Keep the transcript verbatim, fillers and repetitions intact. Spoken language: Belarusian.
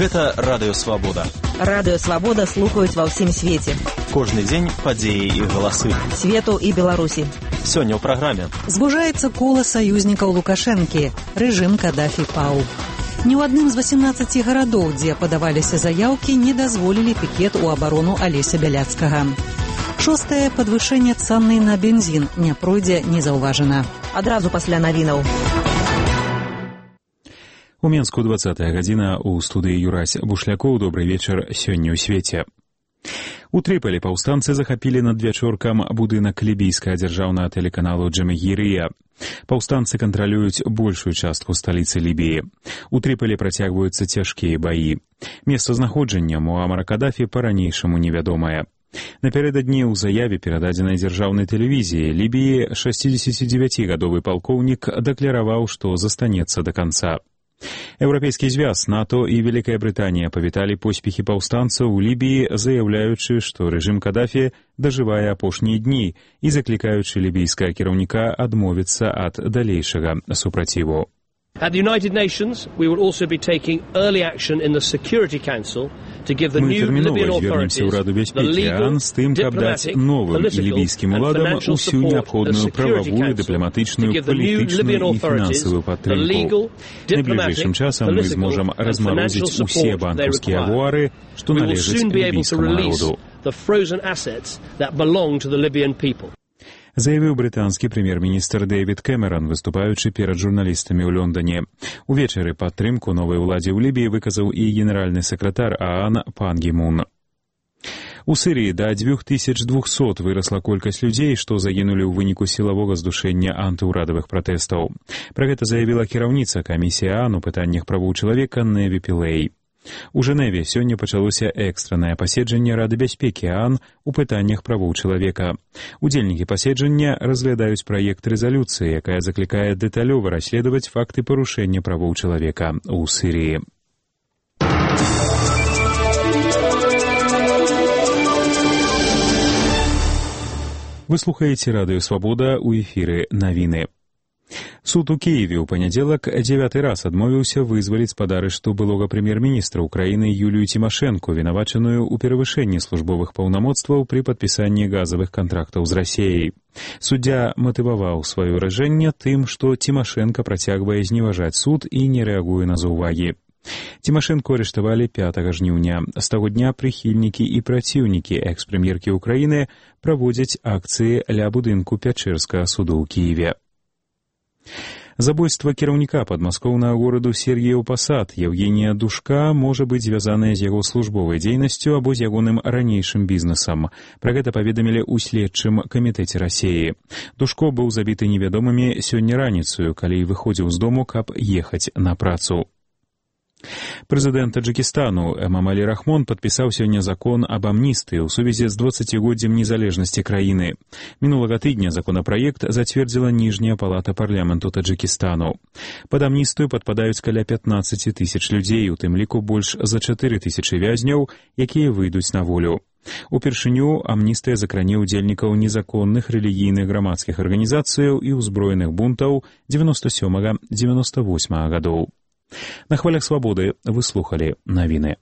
Гэта Радыё Свабода. Радыё Свабода слухаюць ва ўсім свеце. Кожны дзень падзеі і галасы. Свету і Беларусі. Сёння ў праграме. Звужаецца кола саюзнікаў Лукашэнкі. Рэжым Кадафі паў. Ні ў адным з васемнаццаці гарадоў, дзе падаваліся заяўкі, не дазволілі пікет у абарону Алеся Бяляцкага. Шостае падвышэнне цаны на бензін не пройдзе незаўважана. Адразу пасля навінаў. У Менску двадцатая гадзіна, у студыі Юрась Бушлякоў. Добрый вечар сёння ў свеце. У Трыполі паўстанцы захапілі над вячоркам будынак лібійскага дзяржаўнага тэлеканалу Джамагірыя. Паўстанцы кантралююць большую частку сталіцы Лібіі. У Трыполі працягваюцца цяжкія баі. Месцазнаходжанне Муамара Кадафі па-ранейшаму невядомае. Напярэдадні ў заяве, перададзенай дзяржаўнай тэлевізіі Лібіі, шэсцідзесяцідзевяцігадовы палкоўнік дэклараваў, што застанецца да канца. Еўрапейскі звяз, НАТО і Вялікая Брытанія павіталі поспехі паўстанцаў у Лібіі, заяўляючы, што рэжым Кадафі дажывае апошнія дні і заклікаючы лібійскага кіраўніка адмовіцца ад далейшага супраціву. At the United Nations, we will also be taking early action in the Security Council to give the new Libyan authorities the legal, diplomatic, political and financial support the Security Council to give the new Libyan authorities the legal, diplomatic, political and financial support they require. We will soon be able to release the frozen assets that belong to the Libyan people. Заявіў брытанскі прэм'ер-міністр Дэвід Кэмеран, выступаючы перад журналістамі ў Лондоне. Увечары падтрымку новай уладзе ў Лібіі выказаў і генеральны сакратар ААН пан Гі Мун. У Сірыі да дзвюх тысяч двухсот вырасла колькасць людзей, што загінулі ў выніку сілавога здушэння антыўрадавых пратэстаў. Пра гэта заявіла кіраўніца камісіі ААН у пытаннях правоў чалавека Неві Пілэй. У Жэневе сёння пачалося экстраннае паседжанне Рады бяспекі ААН у пытаннях правоў чалавека. Удзельнікі паседжання разглядаюць праект рэзалюцыі, якая заклікае дэталёва расследаваць факты парушэння правоў чалавека ў Сірыі. Вы слухаеце Радыё Свабода, у эфіры навіны. Суд у Киеве ў панядзелак дзевяты раз адмовіўся вызваліць з-пад арышту былога прэм'ер-міністра ўкраіны Юлію Цімашэнку, вінавачаную ў перавышэнні службовых паўнамоцтваў пры падпісанні газавых кантрактаў з Расіяй. Суддзя матываваў сваё рашэнне тым, што Цімашэнка працягвае зневажаць суд і не рэагуе на заўвагі. Цімашэнку арыштавалі пятага жніўня. З таго дня прыхільнікі і праціўнікі экс-прэм'еркі ўкраіны праводзяць акцыі ля будынку Пячэрскага суду ў Кіеве. Забойства кіраўніка падмаскоўнага гораду Сергіяў Пасад Евгенія Душка можа быць звязанае з яго службовай дзейнасцю або з ягоным ранейшым бізнесам. Пра гэта паведамілі ў следчым камітэце Расіі. Душко быў забіты невядомымі сёння раніцаю, калі выходзіў з дому, каб ехаць на працу. Прэзідэнт Таджыкістану Эмамалі Рахмон падпісаў сёння закон аб амністыі ў сувязі з дваццацігоддзем незалежнасці краіны. Мінулага тыдня законапраект зацвердзіла ніжняя палата парламенту Таджыкістану. Пад амністыю падпадаюць каля пятнаццаць тысяч людзей, у тым ліку больш за чатыры тысячы вязняў, якія выйдуць на волю. Упершыню амністыя закране ўдзельнікаў незаконных рэлігійных грамадскіх арганізацыяў і ўзброеных бунтаў дзевяноста сёмага — дзевяноста восьмага гадоў. На хвалях свабоды вы слухалі навіны.